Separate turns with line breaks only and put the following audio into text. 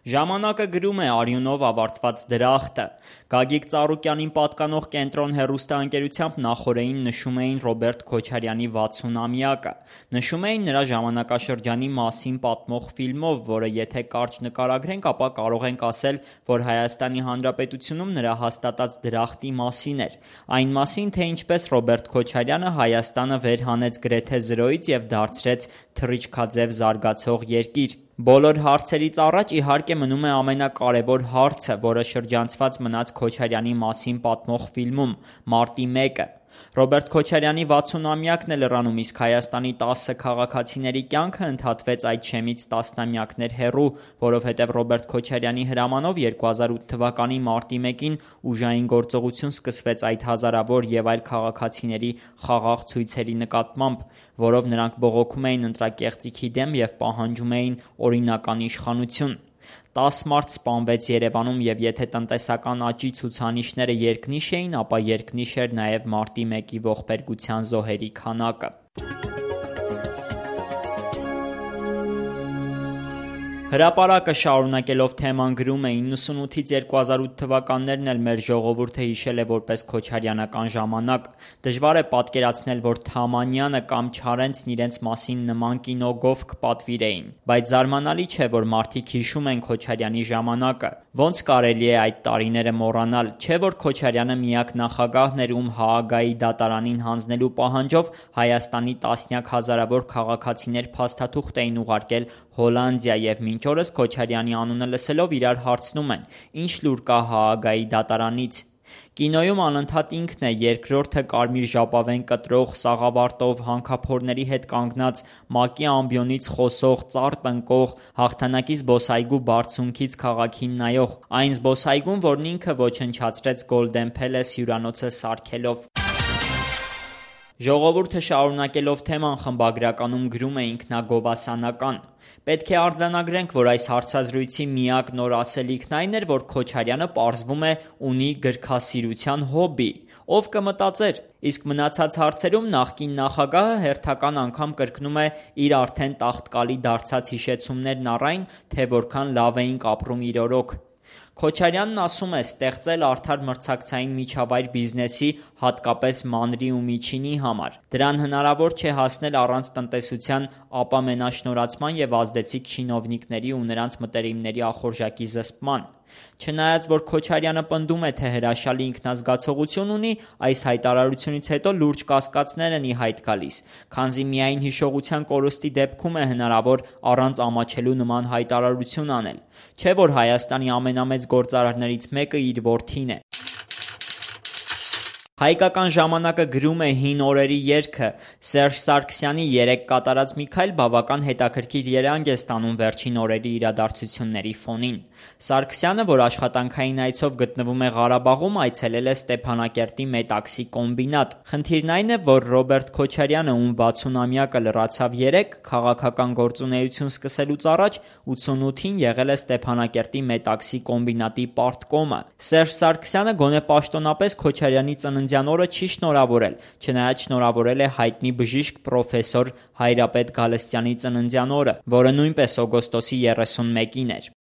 Ժամանակը գրում է արյունով ավարտված դրախտը։ Գագիկ Ծառուկյանին պատկանող Կենտրոն հեռուստաընկերությամբ նախօրեին նշում էին Ռոբերտ Քոչարյանի 60-ամյակը։ Նշում էին նրա ժամանակաշրջանի մասին պատմող ֆիլմով, որը եթե կարճ նկարագրենք, ապա կարող ենք ասել, որ Հայաստանի Հանրապետությունում նրա հաստատած դրախտի մասին էր։ Այն մասին, թե ինչպես Ռոբերտ Քոչարյանը Հայաստանը վեր հանեց գրեթե զրոյից և դարձրեց թռիչքաձև զարգացող երկիր։ Բոլոր հարցերից առաջ իհարկե մնում է ամենակարևոր հարցը, որը շրջանցված մնաց Քոչարյանի մասին պատմող ֆիլմում՝ Մարտի 1-ը։ Ռոբերտ Քոչարյանի 60-ամյակն է լրանում, իսկ Հայաստանի 10 քաղաքացիների կյանքը ընդհատվեց այդ շեմից տասնամյակներ հեռու, որովհետև Ռոբերտ Քոչարյանի հրամանով 2008 թվականի մարտի 1-ին ուժային գործողություն սկսվեց այդ հազարավոր և այլ քաղաքացիների խաղաղ ցույցերի նկատմամբ, որով նրանք բողոքում էին ընտրակեղծիքի դեմ և պահանջում էին օրինական իշխանություն։ 10 մարդ սպանվեց Երևանում, և եթե տնտեսական աճի ցուցանիշները երկնիշ էին, ապա երկնիշ էր նաև մարտի 1-ի ողբերգության զոհերի քանակը։ Հրապարակը շարունակելով թեման գրում է. 98-ից 2008 թվականներն էլ մեր ժողովուրդը հիշել է որպես քոչարյանական ժամանակ։ Դժվար է պատկերացնել, որ Թամանյանը կամ Չարենցն իրենց մասին նման կինոգով կպատվիրեին։ Բայց զարմանալի չէ, որ մարդիկ հիշում են Քոչարյանի ժամանակը։ Ոնց կարելի է այդ տարիները մոռանալ։ Չէ՞ որ Քոչարյանը միակ նախագահն էր, ում Հաագայի դատարանին հանձնելու պահանջով Հայաստանի տասնյակ հազարավոր քաղաքացիներ փաստաթուղթ էին ուղարկել Հոլանդիա և մինչ օրս Քոչարյանի անունը լսելով իրար հարցնում են. ինչ լուր կա Հաագայի դատարանից։ Կինոյում անընդհատ ինքն է, երկրորդը կարմիր ժապավեն կտրող, սաղավարտով, հանքափորների հետ կանգնած, ՄԱԿ-ի ամբիոնից խոսող, ծառ տնկող, հաղթանակի զբոսայգու բարձունքից քաղաքին նայող, այն զբոսայգուն, որն ինքը ոչնչացրեց Golden Palace հյուրանոցը սարքելով։ Ժողովուրդը շարունակելով թեման խմբագրականում գրում է ինքնագովասանական. Պետք է արձանագրենք, որ այս հարցազրույցի միակ նոր ասելիքն այն էր, որ Քոչարյանը պարզվում է ունի գրքասիրության հոբբի։ Ով կմտածեր։ Իսկ մնացած հարցերում նախկին նախագահը հերթական անգամ կրկնում է իր արդեն տաղտկալի դարձած հիշեցումներն առ այն, թե որքան լավ էինք ապրում իր օրոք։ Քոչարյանն ասում է ստեղծել արդար մրցակցային միջավայր բիզնեսի, հատկապես մանրի ու միջինի համար։ Դրան հնարավոր չէ հասնել առանց տնտեսության ապամենաշնորհացման և ազդեցիկ չինովնիկների ու նրանց մտերիմների ախորժակի զսպման։ Չնայած որ Քոչարյանը պնդում է, թե հրաշալի ինքնազգացողություն ունի, այս հայտարարությունից հետո լուրջ կասկածներ են ի հայտ գալիս, քանզի միայն հիշողության կորստի դեպքում է հնարավոր առանց ամաչելու նման հայտարարություն անել։ Չէ՞ որ Հայաստանի ամենամեծ գործարարներից մեկը իր որդին է։ Հայկական ժամանակը գրում է հին օրերի երգը։ Սերժ Սարգսյանի երեկ կատարած մի քայլ բավական հետաքրքիր երանգ է ստանում վերջին օրերի իրադարձությունների ֆոնին։ Սարգսյանը, որ աշխատանքային այցով գտնվում է Ղարաբաղում, այցելել է Ստեփանակերտի Մետաքսի կոմբինատ։ Խնդիրն այն է, որ Ռոբերտ Քոչարյանը, ում 60-ամյակը լրացավ երեկ, քաղաքական գործունեություն սկսելուց առաջ 88-ին եղել է Ստեփանակերտի Մետաքսի կոմբինատի պարտկոմը։ Սերժ Սարգսյանը գոնե պաշտոնապես Քոչարյանի ծննդյան օրը չի շնորհավորել, չնայած շնորհավորել է հայտնի բժիշկ պրոֆեսոր Հայրապետ Գալստյանի ծննդյան օրը, որը նույնպես օգոստոսի 31-ին էր։